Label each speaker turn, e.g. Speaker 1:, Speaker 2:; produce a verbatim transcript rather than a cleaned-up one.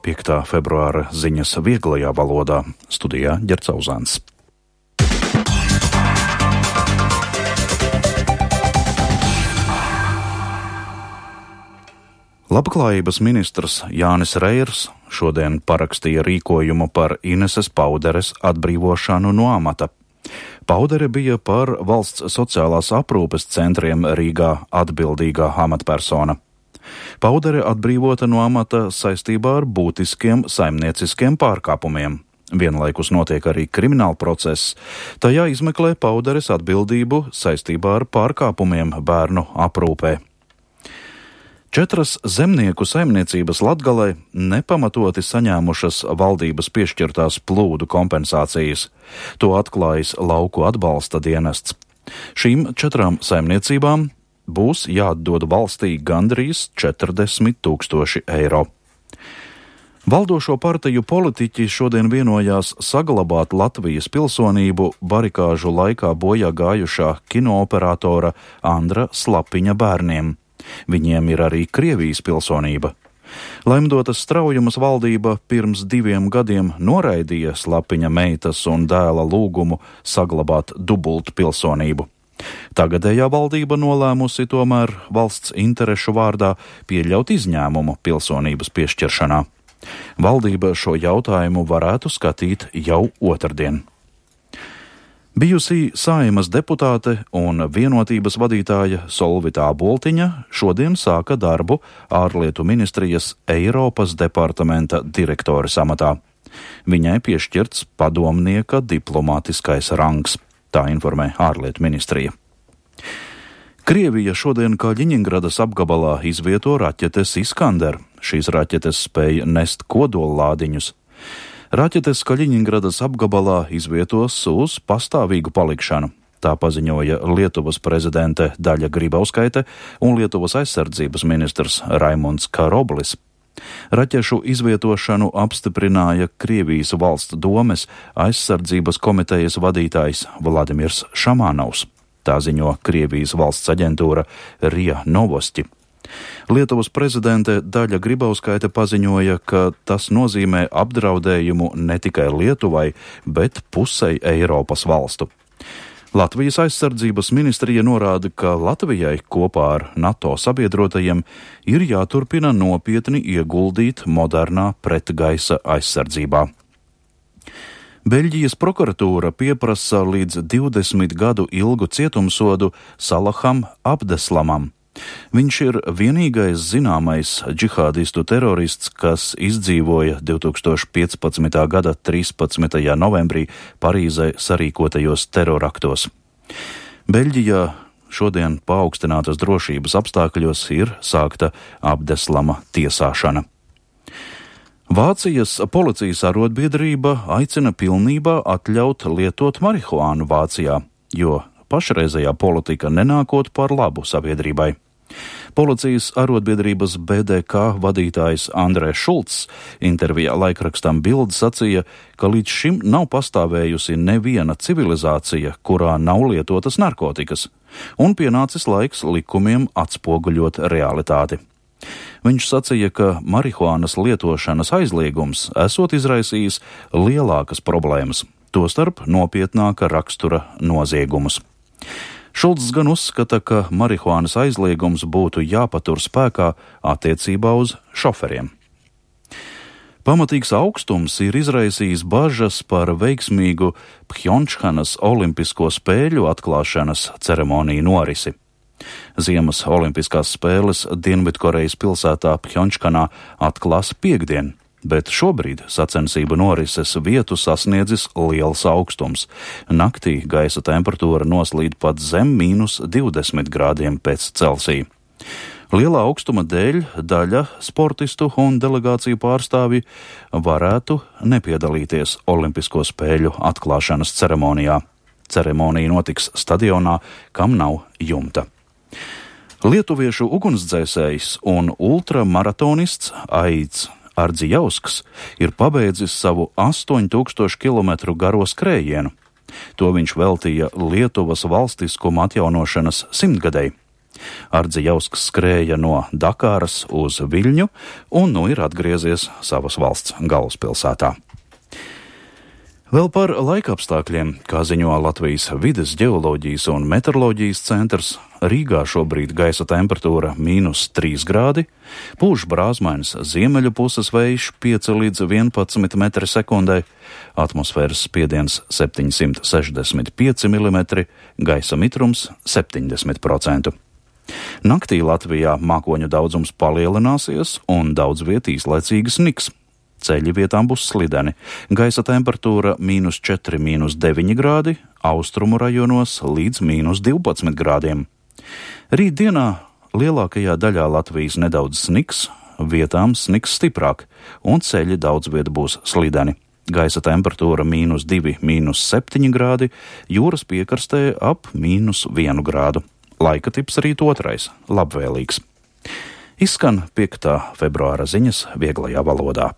Speaker 1: piektā februāra ziņas vieglajā valodā. Studijā Ģerts Auzāns. Labklājības ministrs Jānis Reirs šodien parakstīja rīkojumu par Ineses Pauderes atbrīvošanu no amata. Paudere bija par valsts sociālās aprūpes centriem Rīgā atbildīgā amatpersona. Paudere atbrīvota no amata saistībā ar būtiskiem saimnieciskiem pārkāpumiem. Vienlaikus notiek arī krimināla process. Tajā izmeklē Pauderes atbildību saistībā ar pārkāpumiem bērnu aprūpē. Četras zemnieku saimniecības Latgalē nepamatoti saņēmušas valdības piešķirtās plūdu kompensācijas. To atklājis Lauku atbalsta dienests. Šīm četrām saimniecībām būs jāatdod valstī gandrīz četrdesmit tūkstoši eiro. Valdošo partiju politiķi šodien vienojās saglabāt Latvijas pilsonību barikāžu laikā bojā gājušā kinooperatora Andra Slapiņa bērniem. Viņiem ir arī Krievijas pilsonība. Laimdotas Straujumas valdība pirms diviem gadiem noraidīja Slapiņa meitas un dēla lūgumu saglabāt dubultu pilsonību. Tagadējā valdība nolēmusi tomēr valsts interešu vārdā pieļaut izņēmumu pilsonības piešķiršanā. Valdība šo jautājumu varētu skatīt jau otrdien. Bijusī Saeimas deputāte un vienotības vadītāja Solvita Boltiņa šodien sāka darbu ārlietu ministrijas Eiropas departamenta direktores amatā. Viņai piešķirts padomnieka diplomātiskais rangs, tā informē ārlietu ministrija. Krievija šodien Kaļiņingradas apgabalā izvieto raķetes Iskander. Šīs raķetes spēja nest kodollādiņus. Raķetes Kaļiņingradas apgabalā izvietos uz pastāvīgu palikšanu. Tā paziņoja Lietuvas prezidente Daļa Grybauskaite un Lietuvas aizsardzības ministrs Raimunds Karoblis. Raķešu izvietošanu apstiprināja Krievijas valsts domes aizsardzības komitejas vadītājs Vladimirs Šamanovs. Tā ziņo Krievijas valsts aģentūra Rija Novosti. Lietuvas prezidente Daļa Grybauskaite paziņoja, ka tas nozīmē apdraudējumu ne tikai Lietuvai, bet pusei Eiropas valstu. Latvijas aizsardzības ministrija norāda, ka Latvijai kopā ar NATO sabiedrotajiem ir jāturpina nopietni ieguldīt modernā pretgaisa aizsardzībā. Beļģijas prokuratūra pieprasa līdz divdesmit gadu ilgu cietumsodu Salaham Abdeslamam. Viņš ir vienīgais zināmais džihādistu terorists, kas izdzīvoja divtūkstoš piecpadsmitā gada trīspadsmitajā novembrī Parīzē sarīkotajos teroraktos. Beļģijā šodien paaugstinātas drošības apstākļos ir sākta Abdeslama tiesāšana. Vācijas policijas arotbiedrība aicina pilnībā atļaut lietot marihuānu Vācijā, jo pašreizējā politika nenākot par labu sabiedrībai. Policijas arotbiedrības B D K vadītājs Andrēs Šulcs intervijā laikrakstam Bild sacīja, ka līdz šim nav pastāvējusi neviena civilizācija, kurā nav lietotas narkotikas, un pienācis laiks likumiem atspoguļot realitāti. Viņš sacīja, ka marihuānas lietošanas aizliegums esot izraisījis lielākas problēmas, tostarp nopietnāka rakstura noziegumus. Šulcs gan uzskata, ka marihuānas aizliegums būtu jāpatur spēkā attiecībā uz šoferiem. Pamatīgs augstums ir izraisījis bažas par veiksmīgu Phjončhanas olimpisko spēļu atklāšanas ceremoniju norisi. Ziemas olimpiskās spēles Dienvidkorejas pilsētā Phjončhanā atklās piektdien, bet šobrīd sacensību norises vietu sasniedzis liels augstums. Naktī gaisa temperatūra noslīd pat zem mīnus divdesmit grādiem pēc Celsija. Lielā augstuma dēļ daļa sportistu un delegāciju pārstāvji varētu nepiedalīties Olimpisko spēļu atklāšanas ceremonijā. Ceremonija notiks stadionā, kam nav jumta. Lietuviešu ugunsdzēsējs un ultramaratonists Aids Ardzijausks ir pabeidzis savu astoņu tūkstošu kilometru garo skrējienu. To viņš veltīja Lietuvas valstiskuma atjaunošanas simtgadei. Ardzi skrēja no Dakāras uz Viļņu un nu ir atgriezies savas valsts galvaspilsētā. Vēl par laikapstākļiem, kā ziņo Latvijas vides ģeoloģijas un meteoroloģijas centrs, Rīgā šobrīd gaisa temperatūra mīnus trīs grādi, pūš brāzmains ziemeļu puses vējš pieci līdz vienpadsmit metri sekundē, atmosfēras spiediens septiņsimt sešdesmit pieci milimetri, gaisa mitrums septiņdesmit procenti. Naktī Latvijā mākoņu daudzums palielināsies un daudz viet īslaicīgi sniks. Ceļi vietām būs slideni, gaisa temperatūra mīnus četri, mīnus deviņi grādi, austrumu rajonos līdz mīnus divpadsmit grādiem. Rīt dienā lielākajā daļā Latvijas nedaudz sniks, vietām sniks stiprāk, un ceļi daudz viet būs slideni. Gaisa temperatūra mīnus divi, mīnus septiņi grādi, jūras piekrastē ap mīnus vienu grādu. Laika tips rīt otrais, labvēlīgs. Izskan piektā februāra ziņas vieglajā valodā.